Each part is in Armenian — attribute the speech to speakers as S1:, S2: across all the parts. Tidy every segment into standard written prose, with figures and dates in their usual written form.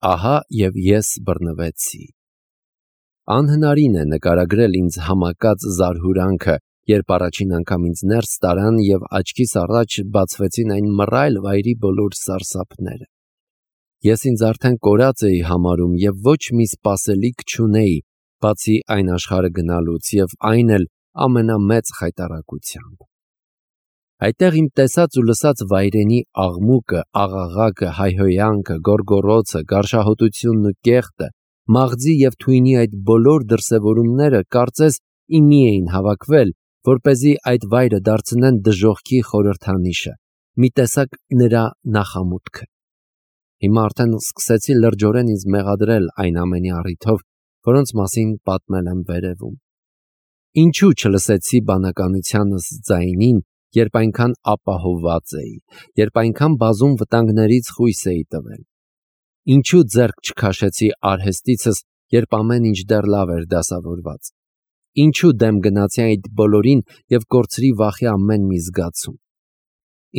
S1: ահա և ես բռնվեցի։ Անհնարին է նկարագրել ինձ համակած զարհուրանքը, երբ առաջին անգամ ինձ ներս տարան և աչքիս առաջ բացվեցին այն մռայլ վայրի բոլոր սարսափները։ Ես ինձ արդեն կորած էի համարում և ոչ մի սպասելիք չունեի, բացի այն աշխարհը գնալուց, և այն էլ ամենամեծ խայտառակությամբ։ Այդտեղ իմ տեսած ու լսած վայրենի աղմուկը, աղաղակը, հայհոյանքը, գոռգոռոցը, գարշահոտությունն ու կեղտը, մաղձի և թույնի այդ բոլոր դրսևորումները կարծես իմի էին հավաքվել, որպեսզի այդ վայրը դարձնեն դժոխքի խորհրդանիշը, մի տեսակ նրա նախամուտքը։ Հիմա արդեն սկսեցի լրջորեն ինձ մեղադրել այն ամենի առիթով, որոնց մասին պատմել եմ վերևում։ Ինչու չլսեցի բանականությանս ձայնին, երբ այնքան ապահովված էի, երբ այնքան բազում վտանգներից խույս էի տվել։ Ինչու ձեռք չքաշեցի արհեստիցս, երբ ամեն ինչ դեռ լավ էր դասավորված։ Ինչու դեմ գնացի այդ բոլորին և կորցրի վախի ամեն մի զգացում։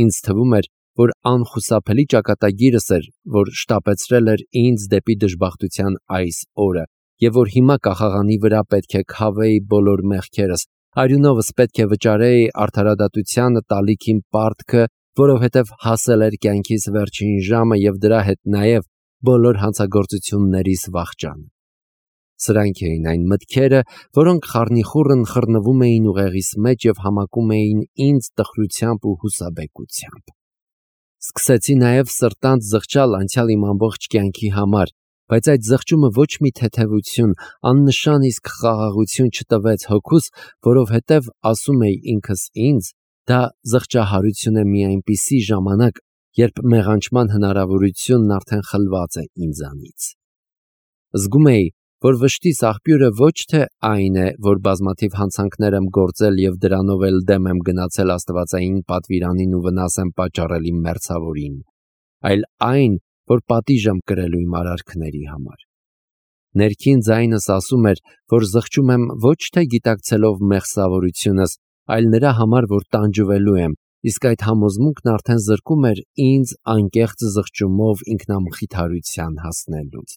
S1: Ինձ թվում էր, որ անխուսափելի ճակատագիրս էր, որ շտապեցրել էր ինձ դեպի դժբախտության այս օրը, և որ հիմա կախաղանի վրա պետք է քավեի բոլոր մեղքերս, արյունովս պետք է վճարեի արդարադատությանը տալիք իմ պարտքը, որովհետև հասել էր կյանքիս վերջին ժամը և դրա հետ նաև բոլոր հանցագործություններիս վախճանը։ Սրանք էին այն մտքերը, որոնք խառնիխուռն խռնվում էին ուղեղիս մեջ և համակում էին ինձ տխրությամբ ու հուսաբեկությամբ։ Սկսեցի նաև սրտանց զղջալ անցյալ իմ ամբողջ կյանքի համար, բայց այդ զղջումը ոչ մի թեթևություն, աննշան իսկ խաղաղություն չտվեց հոգուս, որովհետև ասում էի ինքս ինձ, դա զղջահարություն է մի այնպիսի ժամանակ, երբ մեղանչման հնարավորությունն արդեն խլված է ինձանից։ Զգում էի, որ վշտիս աղբյուրը ոչ թե այն է, որ բազմաթիվ հանցանքներ եմ գործել և դրանով էլ դեմ եմ գնացել աստվածային պատվիրանին ու վնաս եմ պատճառել իմ մերձավորին, այլ այն, որ պատիժ եմ կրելու իմ արարքների համար։ Ներքին ձայնս ասում էր, որ զղջում եմ ոչ թե գիտակցելով մեղսավորությունս, այլ նրա համար, որ տանջվելու եմ, իսկ այդ համոզմունքն արդեն զրկում էր ինձ անկեղծ զղջումով ինքնամխիթարության հասնելուց։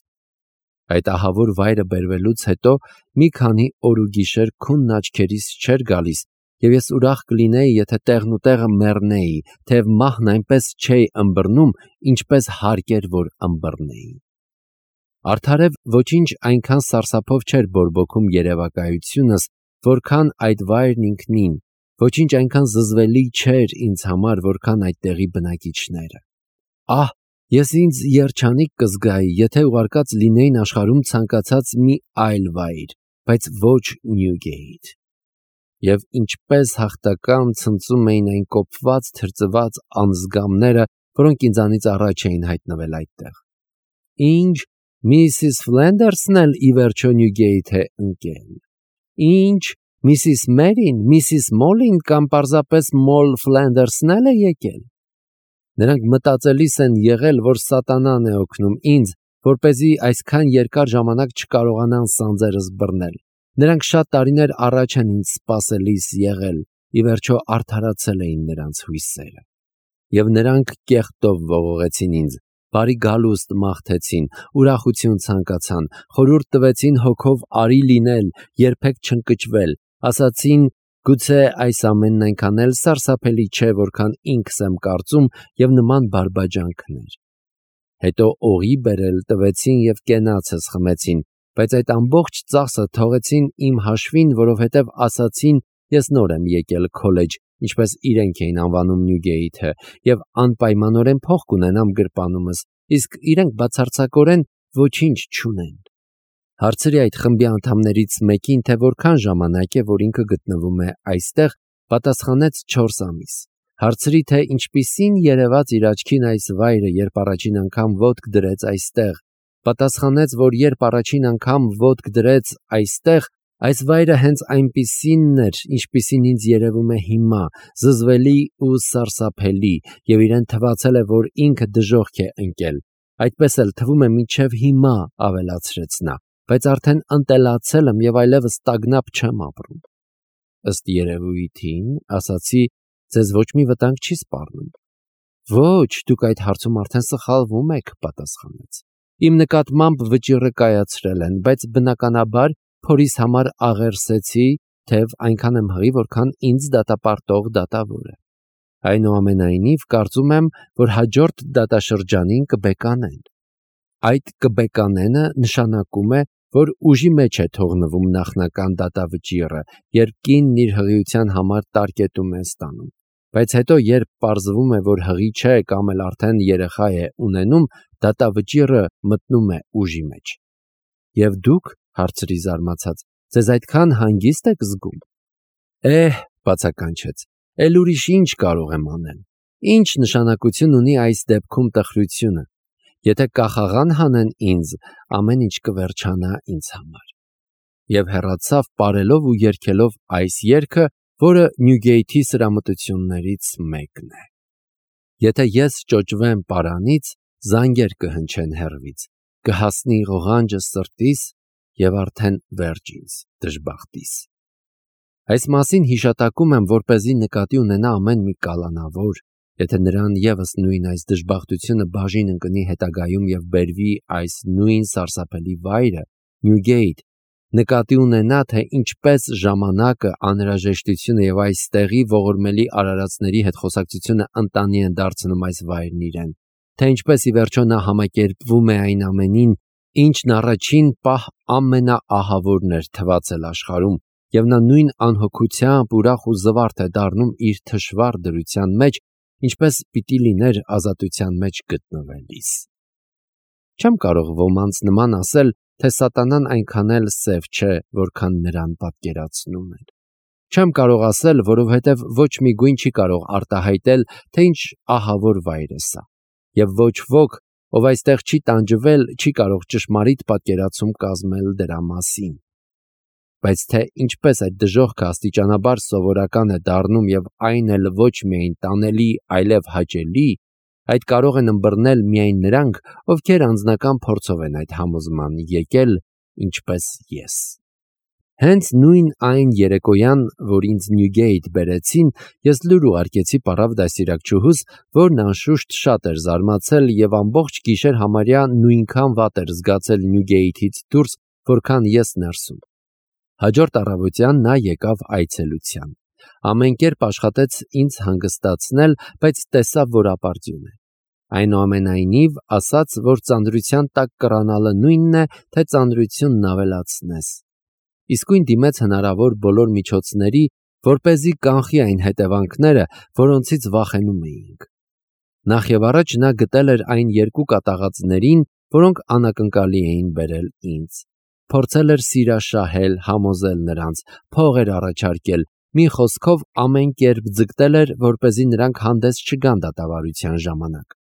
S1: Այդ ահավոր վայրը բերվելուց հետո մի քանի օր ու գիշեր քունն աչքերիս չէր գալիս, և ես ուրախ կլինեի, եթե տեղնուտեղը մեռնեի, թեև մահն այնպես չէի ըմբռնում, ինչպես հարկ էր, որ ըմբռնեի։ Արդարև ոչինչ այնքան սարսափով չէր բորբոքում երևակայությունս, որքան այդ վայրն ինքնին, ոչինչ այնքան զզվելի չէր ինձ համար, որքան այդտեղի բնակիչները։ Ահ, ես ինձ երջանիկ կզգայի, եթե ուղարկած լինեին աշխարհում ցանկացած մի այլ վայր, բայց ոչ Նյուգեյթ։ Եվ ինչպես հաղթական ցնծում էին այն կոփված, թրծված անձգամները, որոնք ինձանից առաջ էին հայտնվել այդտեղ։ Ինչ, Միսիս Ֆլենդերսն էլ ի վերջո Նյուգեյթ է ընկել։ Ինչ, Միսիս Մերին, Միսիս Մոլին կամ պարզապես Մոլ Ֆլենդերսն էլ է եկել։ Նրանք մտածելիս են եղել, որ սատանան է օգնում ինձ, որպեսզի այսքան երկար ժամանակ չկարողանան սանձերս բռնել։ Նրանք շատ տարիներ առաջ են ինձ սպասելիս եղել, ի վերջո արդարացել էին նրանց հույսերը։ Եվ նրանք կեղտով ողողեցին ինձ, բարի գալուստ մաղթեցին, ուրախություն ցանկացան, խորհուրդ տվեցին հոգով արի լինել, երբեք չընկճվել, ասացին, գուցե այս ամենն այնքան էլ սարսափելի չէ, որքան ինքս եմ կարծում, և նման բարբաջանքներ։ Հետո օղի բերել տվեցին և կենացս խմեցին, բայց այդ ամբողջ ծախսը թողեցին իմ հաշվին, որովհետև ասացին, ես նոր եմ եկել քոլեջ, ինչպես իրենք էին անվանում Նյուգեյթը, և անպայմանորեն փող կունենամ գրպանումս, իսկ իրենք բացարձակորեն ոչինչ չունեն։ Հարցրի այդ խմբի անդամներից մեկին, թե որքան ժամանակ է, որ ինքը գտնվում է այստեղ, պատասխանեց 4 ամիս։ Հարցրի, թե ինչպիսին երևաց իր աչքին այս վայրը, երբ առաջին անգամ ոտք դրեց այստեղ, պատասխանեց, որ երբ առաջին անգամ ոտք դրեց այստեղ, այս վայրը հենց այնպիսինն էր, ինչպիսին ինձ երևում է հիմա, զզվելի ու սարսափելի, և իրեն թվացել է, որ ինքը դժոխք է ընկել։ Այդպես էլ թվում է մինչև հիմա, ավելացրեց նա, բայց արդեն ընտելացել եմ և այլևս տագնապ չեմ ապրում։ Ըստ երևույթին, ասացի, ձեզ ոչ մի վտանգ չի սպառնում։ Ոչ, դուք այդ հարցում արդեն սխալվում եք, պատասխանեց։ Իմ նկատմամբ վճիռը կայացրել են, բայց բնականաբար փորիս համար աղերսեցի, թեև այնքան եմ հղի, որքան ինձ դատապարտող դատավորը։ Այնուամենայնիվ, կարծում եմ, որ հաջորդ դատաշրջանին կբեկանեն։ Այդ կբեկանենը նշանակում է, որ ուժի մեջ է թողնվում նախնական դատավճիռը, երբ կինն իր հղիության համար տարկետում է ստանում, բայց հետո երբ պարզվում է, որ հղի չէ կամ էլ արդեն երեխա է ունենում, դատավճիռը մտնում է ուժի մեջ։ Եվ դուք, հարցրի զարմացած, ձեզ այդքան հանգիստ եք զգում։ Բացականչեց, էլ ուրիշ ինչ կարող եմ անել։ Ինչ նշանակություն ունի այս դեպքում տխրությունը։ Եթե կախաղան հանեն ինձ, ամեն ինչ կվերջանա ինձ համար։ Եվ հեռացավ պարելով ու երգելով այս երգը, որը Նյուգեյթի սրամտություններից մեկն է։ Եթե ես ճոճվեմ պարանից, զանգեր կհնչեն հեռվից, կհասնի ղողանջը սրտիս և արդեն վերջ ինձ դժբախտիս։ Այս մասին հիշատակում եմ, որպեսզի նկատի ունենա ամեն մի կալանավոր, եթե նրան ևս նույն այս դժբախտությունը բաժին ընկնի հետագայում և բերվի այս նույն սարսափելի վայրը, Նյուգեյթ, նկատի ունենա, թե ինչպես ժամանակը, անհրաժեշտությունը և այստեղի ողորմելի արարածների հետ խոսակցությունը ընտանի են դարձնում այս վայրն իրեն, թե ինչպես ի վերջո նա համակերպվում է այն ամենին, ինչն առաջին պահ ամենաահավորն էր թվացել աշխարհում, և նա նույն անհոգությամբ ուրախ ու զվարթ է դառնում իր թշվառ դրության մեջ, ինչպես պիտի լիներ ազատության մեջ գտնվելիս։ Չեմ կարող ոմանց նման ասել, թե սատանան այնքան էլ սև չէ, որքան նրան պատկերացնում են։ Չեմ կարող ասել, որովհետև ոչ մի գույն չի կարող արտահայտել, թե ինչ ահավոր վայր է սա, և ոչ ոք, ով այստեղ չի տանջվել, չի կարող ճշմարիտ պատկերացում կազմել դրա մասին։ Բայց թե ինչպես այդ դժոխքը աստիճանաբար սովորական է դառնում և այն էլ ոչ միայն տանելի, այլև հաճելի, այդ կարող են ըմբռնել միայն նրանք, ովքեր անձնական փորձով են այդ համոզման եկել, ինչպես ես։ Հենց նույն այն երեկոյան, որ ինձ Նյուգեյթ բերեցին, ես լուր ուղարկեցի պառավ դաստիարակչուհուս, որն անշուշտ շատ էր զարմացել և ամբողջ գիշեր համարյա նույնքան վատ էր զգացել Նյուգեյթից դուրս, որքան ես ներսում։ Հաջորդ առավոտյան նա եկավ այցելության։ Ամեն կերպ աշխատեց ինձ հանգստացնել, բայց տեսավ, որ ապարդյուն է։ Այնուամենայնիվ ասաց, որ ծանրության տակ կռանալը նույնն է, թե ծանրությունն ավելացնես։ Իսկույն դիմեց հնարավոր բոլոր միջոցների, որպեսզի կանխի այն հետևանքները, որոնցից վախենում էինք։ Նախ և առաջ նա գտել էր այն երկու կատաղածներին, որոնք անակնկալի էին բերել ինձ։ Փորձել էր սիրաշահել, համոզել նրանց, փող էր առաջարկել, մի խոսքով ամեն կերպ ձգտել էր, որպեսզի նրանք հանդես չգան դատավարության ժամանակ։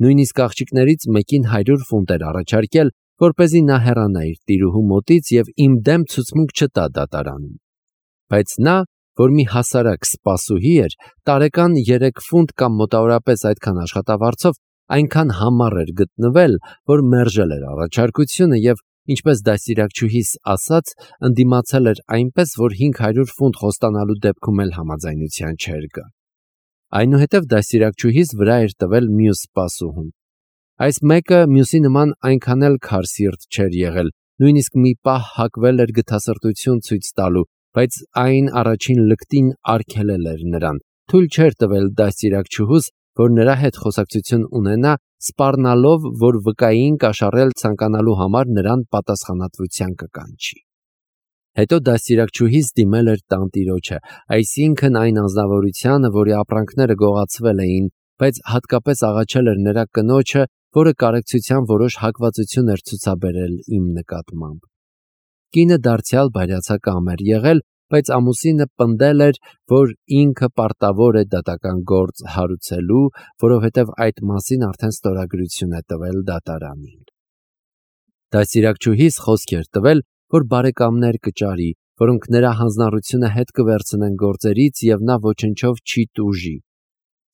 S1: Նույնիսկ աղջիկներից մեկին 100 ֆունտ էր առաջարկել, որպեսզի նա հեռանա իր տիրուհու մոտից և իմ դեմ ցուցմունք չտա դատարանում։ Բայց նա, որ մի հասարակ սպասուհի էր, տարեկան 3 ֆունտ կամ մոտավորապես այդքան աշխատավարձով, այնքան համառ էր գտնվել, որ մերժել էր առաջարկությունը և, ինչպես դաստիարակչուհիս ասաց, ընդդիմացել էր այնպես, որ 500 ֆունտ խոստանալու դեպքում էլ համաձայնության չէր գա։ Այնուհետև դաստիարակչուհիս վրա էր տվել մյուս սպասուհուն։ Այս մեկը մյուսի նման այնքան էլ քարսիրտ չէր եղել, նույնիսկ մի պահ հակվել էր գթասրտություն ցույց տալու, բայց այն առաջին լկտին արգելել էր նրան, թույլ չէր տվել դաստիարակչուհուս, որ նրա հետ խոսակցություն ունենա, սպառնալով, որ վկային կաշառել ցանկանալու համար նրան պատասխանատվության կկանչի։ Հետո դաստիարակչուհիս դիմել էր տանտիրոջը, այսինքն այն անձնավորությանը, որի ապրանքները գողացվել էին, բայց հատկապես աղաչել էր նրա կնոջը, որը կարեկցության որոշ հակվածություն էր ցուցաբերել իմ նկատմամբ։ Կինը դարձյալ բայրացակամ էր եղել, բայց ամուսինը պնդել էր, որ ինքը պարտավոր է դատական գործ հարուցելու, որովհետև այդ մասին արդեն ստորագրություն է տվել դատարանին։ Դաստիարակչուհիս խոսք էր տվել, որ բարեկամներ կճարի, որոնք նրա հանձնառությունը հետ կվերցնեն գործերից և նա ոչնչով չի տուժի։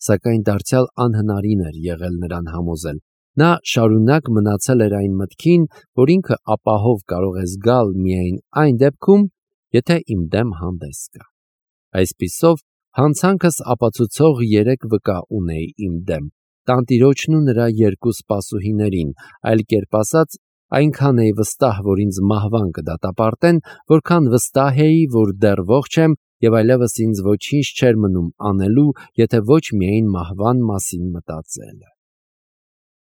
S1: Սակայն դարձյալ անհնարին էր եղել նրան համոզել։ Նա շարունակ մնացել էր այն մտքին, որ ինքը ապահով կարող է զգալ միայն այն դեպքում, եթե իմ դեմ հանդես գա։ Այսպիսով, հանցանքս ապացուցող 3 վկա ունեի իմ դեմ, տանտիրոջն ու նրա երկու սպասուհիներին, այլ կերպ ասած, այնքան էի վստահ, որ ինձ մահվան կդատապարտեն, որքան վստահ էի, որ դեռ ողջ եմ և այլևս ինձ ոչինչ չէր մնում անելու, եթե ոչ միայն մահվան մասին մտածելը։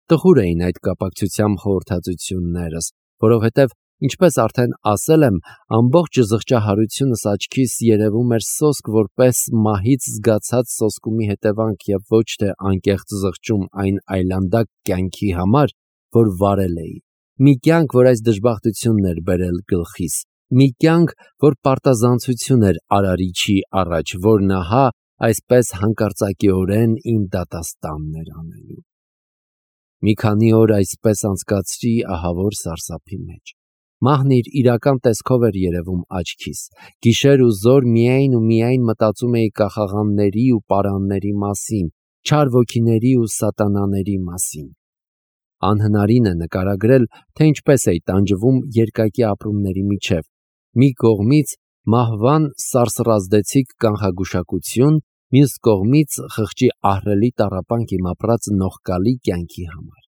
S1: Տխուր էին այդ կապակցությամբ խորհրդածություններս, որովհետև, ինչպես արդեն ասել եմ, ամբողջ զղջահարությունս աչքիս երևում էր սոսկ որպես մահից զգացած սոսկումի հետևանք և ոչ թե անկեղծ զղջում այն այլանդակ կյանքի համար, որ վարել էի, մի կյանք, որ այս դժբախտությունն էր բերել գլխիս, մի կյանք, որ պարտազանցություն էր Արարիչի առաջ, որն ահա այսպես հանկարծակիորեն իմ դատաստանն էր անելու։ Մի քանի օր այսպես անցկացրի ահավոր սարսափի մեջ։ Մահն իր իրական տեսքով էր երևում աչքիս, գիշեր ու զօր միայն ու միայն մտածում էի կախաղանների ու պարանների մասին, չար ոգիների ու սատանաների մասին։ Անհնարին է նկարագրել, թե ինչպես էի տանջվում երկակի ապրումների միջև, մի կողմից մահվան սարսռազդեցիկ կանխագուշակություն, մյուս կողմից խղճի ահռելի տառապանք իմ ապրած նողկալի կյանքի համար։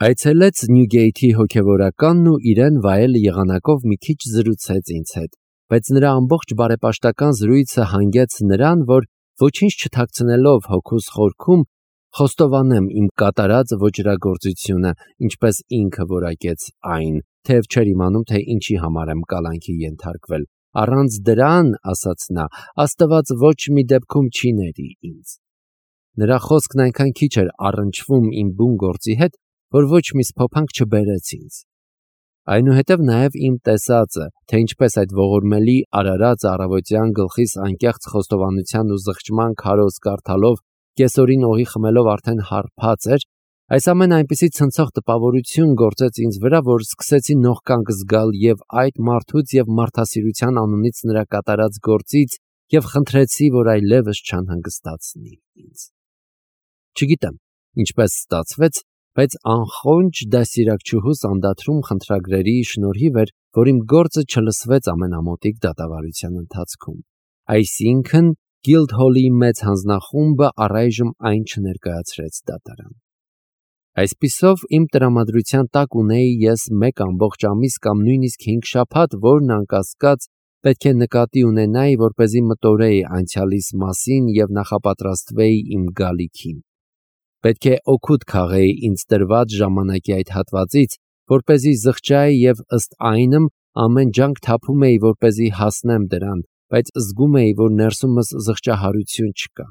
S1: Այցելեց Նյուգեյթի հոգևորականն ու իրեն վայել եղանակով մի քիչ զրուցեց ինձ հետ, բայց նրա ամբողջ բարեպաշտական զրույցը հանգեց նրան, որ ոչինչ չթաքցնելով հոգուս խորքում, խոստովանեմ իմ կատարած ոճրագործությունը, ինչպես ինքը որակեց այն, թեև չէր իմանում, թե ինչի համար եմ կալանքի ենթարկվել։ Առանց դրան, ասաց նա, Աստված ոչ մի դեպքում չի ների ինձ։ Նրա խոսքն այնքան քիչ էր առնչվում իմ բուն գործի հետ, որ ոչ մի սփոփանք չբերեց ինձ։ Այնուհետև նաև իմ տեսածը, թե ինչպես այդ ողորմելի արարած առավոտյան գլխիս անկեղծ խոստովանության ու զղջման քարոզ կարդալով, կեսօրին օղի խմելով արդեն հարբած էր, այս ամենը այնպիսի ցնցող տպավորություն գործեց ինձ վրա, որ սկսեցի նողկանք զգալ և այդ մարդուց և մարդասիրության անունից նրա կատարած գործից և խնդրեցի, որ այլևս չանհանգստացնի ինձ։ Չգիտեմ, ինչպես ստացվեց, բայց անխոնջ դաստիարակչուհուս անդադրում խնդրագրերի շնորհիվ էր, որ իմ գործը չլսվեց ամենամոտիկ դատավարության ընթացքում։ Այսինքն, Գիլդհոլի մեծ հանձնախումբը առայժմ այն չներկայացրեց դատարան։ Այսպիսով, իմ տրամադրության տակ ունեի ես 1 ամբողջ ամիս կամ նույնիսկ 5 շաբաթ, որն անկասկած պետք է նկատի ունենայի, որպեսզի մտորեի անցյալիս մասին և նախապատրաստվեի իմ գալիքին։ Պետք է օգուտ քաղեի ինձ տրված ժամանակի այդ հատվածից, որպեսզի զղջայի և ըստ այնմ ամեն ջանք թափում էի, որպեսզի հասնեմ դրան, բայց զգում էի, որ ներսումս զղջահարություն չկա։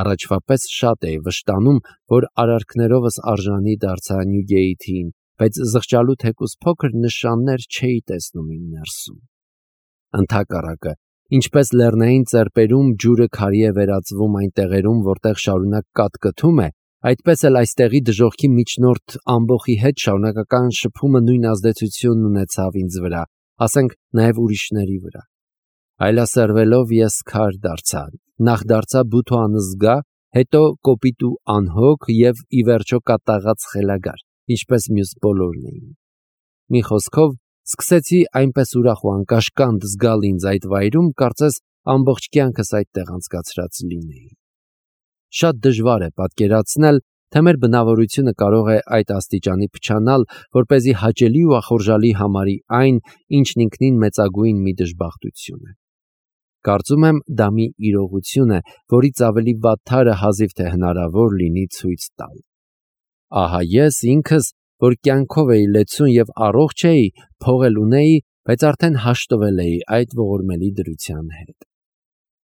S1: Առաջվա պես շատ էի վշտանում, որ արարքներովս արժանի դարձա Նյուգեյթին, բայց զղջալու թեկուզ փոքր նշաններ չէի տեսնում իմ ներսում։ Ընդհակառակը, ինչպես լեռնային ծեպերում ջուրը քարի է վերածվում այն տեղերում, որտեղ շարունակ կատկթում է, այդպես էլ այստեղի դժոխքի միջնորդ ամբոխի հետ շարունակական շփումը նույն ազդեցությունն ունեցավ ինձ վրա, ասենք նաև ուրիշների վրա։ Այլասերվելով ես քար դարձա, նախ դարձա բութ ու անզգա, հետո կոպիտ ու անհոգ և ի վերջո կատաղած խելագար, ինչպես մյուս բոլորն էին։ Մի խոսքով, սկսեցի այնպես ուրախ ու անկաշկանդ զգալ ինձ այդ վայրում, կարծես ամբողջ կյանքս այդտեղ անցկացրած լինեի։ Շատ դժվար է պատկերացնել, թե մեր բնավորությունը կարող է այդ աստիճանի փչանալ, որպեսզի հաճելի ու ախորժալի համարի այն, ինչն ինքնին մեծագույն մի դժբախտություն է։ Կարծում եմ, դա մի իրողություն է, որից ավելի վատթարը հազիվ թե հնարավոր լինի ցույց տալ։ Ահա ես ինքս, որ կյանքով էի լեցուն և առողջ էի, փող էլ ունեի, բայց արդեն հաշտվել էի այդ ողորմելի դրության հետ։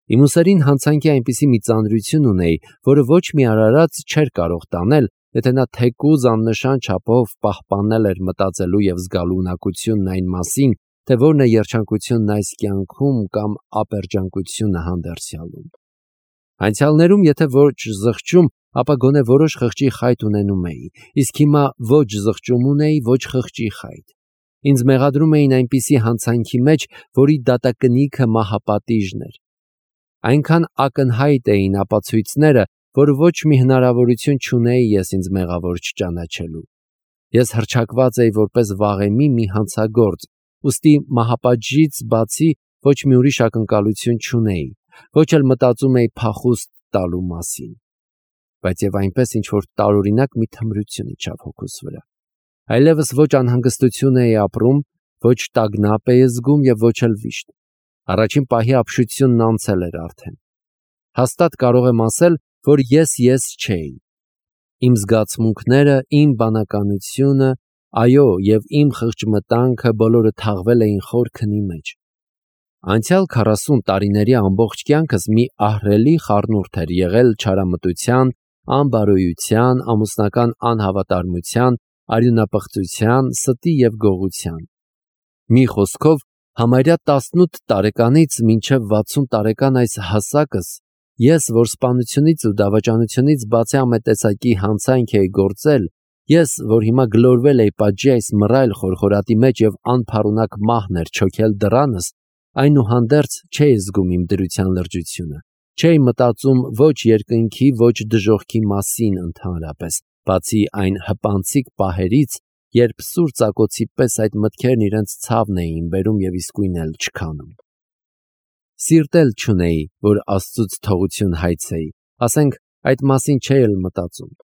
S1: Իմ ուսերին հանցանքի այնպիսի մի ծանրություն ունեի, որը ոչ մի արարած չէր կարող տանել, եթե նա թեկուզ աննշան չափով պահպանել էր մտածելու և զգալու ունակությունն այն մասին, թե որն է երջանկությունն այս կյանքում կամ ապերջանկությունը հանդերձյալում։ Անցյալներում, եթե ոչ զղջում, ապա գոնե որոշ խղճի խայտ ունենում էի, իսկ հիմա ոչ զղջում ունեի, ոչ խղճի խայտ։ Ինձ մեղադրում էին այնպիսի հանցանքի մեջ, որի դատակնիքը մահապատիժն էր։ Այնքան ակնհայտ էին ապացույցները, որ ոչ մի հնարավորություն չունեի ես ինձ մեղավոր չճանաչելու։ Ես հռչակված էի որպես վաղեմի մի հանցագործ, ուստի մահապատժից բացի ոչ մի ուրիշ ակնկալություն չունեի, ոչ էլ մտածում էի փախուստ տալու մասին։ բայց եւ այնպես ինչ որ տարօրինակ մի թմրություն իջավ հոգուս վրա։ Այլևս ոչ անհանգստություն էի ապրում, ոչ տագնապ էի զգում եւ ոչ էլ վիշտ։ Առաջին պահի ապշությունն անցել էր արդեն։ Հաստատ կարող եմ ասել, որ ես չէի։ Իմ զգացմունքները, իմ բանականությունը, այո, եւ իմ խղճմտանքը բոլորը թաղվել էին խոր քնի մեջ։ Անցյալ 40 տարիների ամբողջ կյանքս մի ահռելի խառնուրդ էր եղել չարամտության, անբարոյության, ամուսնական անհավատարմության, արյունապղծության, ստի եւ գողության։ Մի խոսքով, համարյա 18 տարեկանից մինչև 60 տարեկան այս հասակս ես, որ սպանությունից ու դավաճանությունից բացի ամետեցակի հանցանք էի գործել, ես, որ հիմա գլորվել էի պատժի այս մռայլ խորխորատի մեջ եւ անփառունակ մահն էր չոքել դռանս, այնուհանդերձ չէի զգում իմ դրության լրջությունը, չէի մտածում ոչ երկնքի, ոչ դժոխքի մասին ընդհանրապես, բացի այն հպանցիկ պահերից, երբ սուր ծակոցի պես այդ մտքերն իրենց ցավն էին բերում եւ իսկույն էլ չքանում։ Սիրտ էլ չունեի, որ Աստծուց թողություն հայցեի, ասենք այդ մասին չէի էլ մտածում։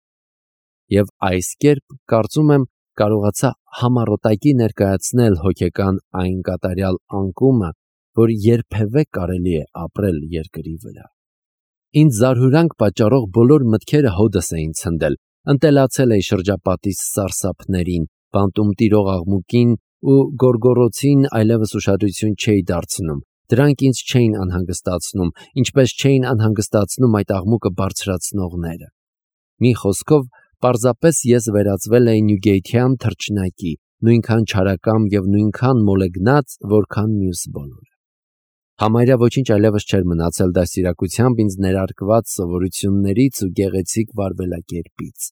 S1: Եվ այս կերպ, կարծում եմ, կարողացա համառոտակի ներկայացնել հոգեկան այն կատարյալ անկումը, որ երբևէ կարելի է ապրել երկրի վրա։ Ինձ զարհուրանք պատճառող բոլոր մտքերը հոդս էին ցնդել, ընտելացել էի շրջապատիս սարսափներին, բանտում տիրող աղմուկին ու գորգորոցին այլևս ուշադրություն չէի դարձնում, դրանք ինձ չէին անհանգստացնում, ինչպես չէին անհանգստացնում այդ աղմուկը բարձրացնողները։ Մի խոսքով, պարզապես ես վերածվել էի նյուգեյթյան թռչնակի, նույնքան չարակամ եւ նույնքան մոլեգնած, որքան մյուս բոլորը։ Համարյա ոչինչ այլևս չէր մնացել դաստիարակությամբ ինձ ներարկված սովորություններից ու գեղեցիկ վարվելակերպից։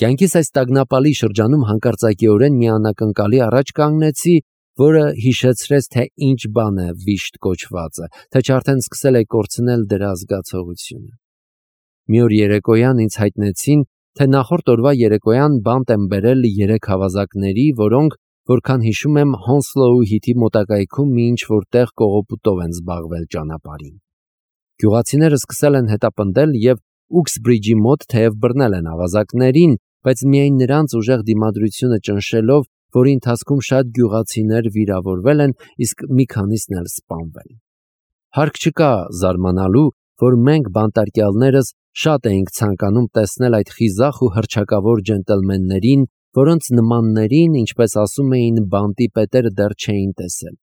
S1: Կյանքիս այս տագնապալի շրջանում հանկարծակիորեն մի անակնկալի առաջ կանգնեցի, որը հիշեցրեց, թե ինչ բան է վիշտ կոչվածը, թե չարդեն սկսել է կորցնել դրա զգացողությունը։ Մի օր երեկոյան ինձ հայտնեցին, թե նախորդ օրվա երեկոյան բանտ են բերել 3 հավազակների, որոնք, որքան հիշում եմ, Հոնսլոու հիթի մոտակայքում մի ինչ-որ տեղ կողոպուտով են զբաղվել ճանապարհին։ Գյուղացիները սկսել են հետապնդել եւ Ուքսբրիջի մոտ թեև բռնել են ավազակներին, բայց միայն նրանց ուժեղ դիմադրությունը ճնշելով, որի ընթացքում շատ գյուղացիներ վիրավորվել են, իսկ մի քանիսն էլ սպանվել։ Հարկ չկա զարմանալու, որ մենք բանտարկյալներս շատ էինք ցանկանում տեսնել այդ խիզախ ու հռչակավոր ջենտլմեններին, որոնց նմաններին, ինչպես ասում էին, բանտի պետերը դեռ չէին տեսել։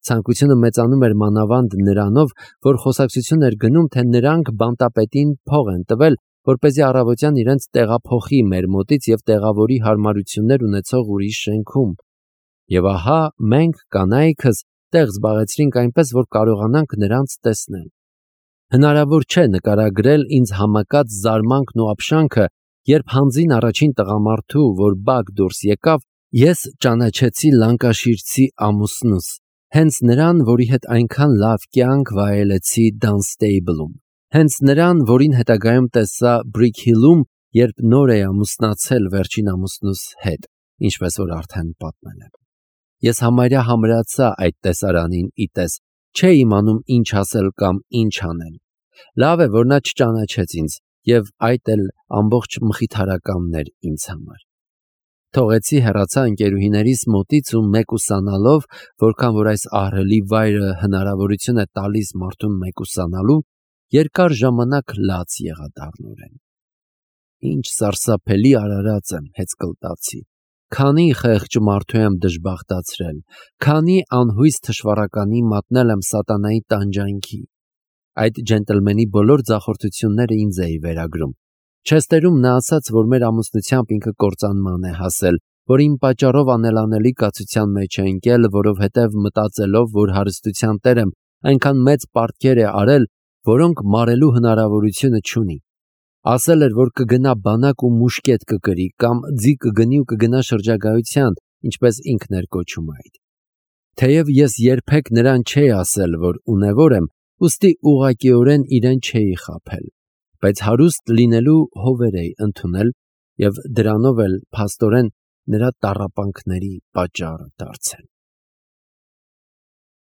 S1: Ցանկությունը մեծանում էր մանավանդ նրանով, որ խոսակցություն էր գնում, թե նրանք բանտապետին փող են տվել, որպեսզի առավոտյան իրենց տեղափոխի մեր մոտից եւ տեղավորի հարմարություններ ունեցող ուրիշ շենքում։ Եվ ահա մենք կանայքս տեղ զբաղեցրինք այնպես, որ կարողանանք նրանց տեսնել։ Հնարավոր չէ նկարագրել ինձ համակած զարմանքն ու ապշանքը, երբ հանձին առաջին տղամարդու, որ բակ դուրս եկավ, ես ճանաչեցի լանկաշիրցի ամուսնուս, հենց նրան, որի հետ այնքան լավ կյանք վայելեցի Դանստեյբլում, հենց նրան, որին հետագայում տեսա Բրիկ Հիլում, երբ նոր էի ամուսնացել վերջին ամուսնուս հետ, ինչպես որ արդեն պատմել եմ։ Ես համարյա համրացա այդ տեսարանին իտես, չէի իմանում ինչ ասել կամ ինչ անել։ Լավ է, որ նա չճանաչեց ինձ, եւ այդ էլ ամբողջ մխիթարականն էր ինձ համար։ Թողեցի հեռացա ընկերուհիներիս մոտից ու մեկուսանալով, որքան որ այս ահռելի վայրը հնարավորություն է տալիս մարդուն մեկուսանալու, երկար ժամանակ լաց եղա դառնորեն։ Ինչ սարսափելի արարած եմ, հեծկլտացի։ Քանի խեղճ մարդու եմ դժբախտացրել, քանի անհույս թշվառականի մատնել եմ սատանայի տանջանքի։ Այդ ջենտլմենի բոլոր ձախորդությունները ինձ էի վերագրում։ Չեստերում նա ասաց, որ մեր ամուսնությամբ ինքը կործանման է հասել, որ իմ պատճառով անելանելի կացության մեջ է ընկել, որովհետև մտածելով, որ հարստության տեր եմ, այնքան մեծ պարտքեր է արել, որոնք մարելու հնարավորությունը չունի։ Ասել էր, որ կգնա բանակ ու մուշկետ կկրի, կամ ձի կգնի ու կգնա շրջագայության, ինչպես ինքն էր կոչում այդ։ Թեև ես երբեք նրան չէի ասել, որ ունևոր եմ, ուստի ուղղակիորեն իրեն չէի խաբել, բայց հարուստ լինելու հովեր էի ընդունել եւ դրանով էլ փաստորեն նրա տառապանքների պատճառը դարձել։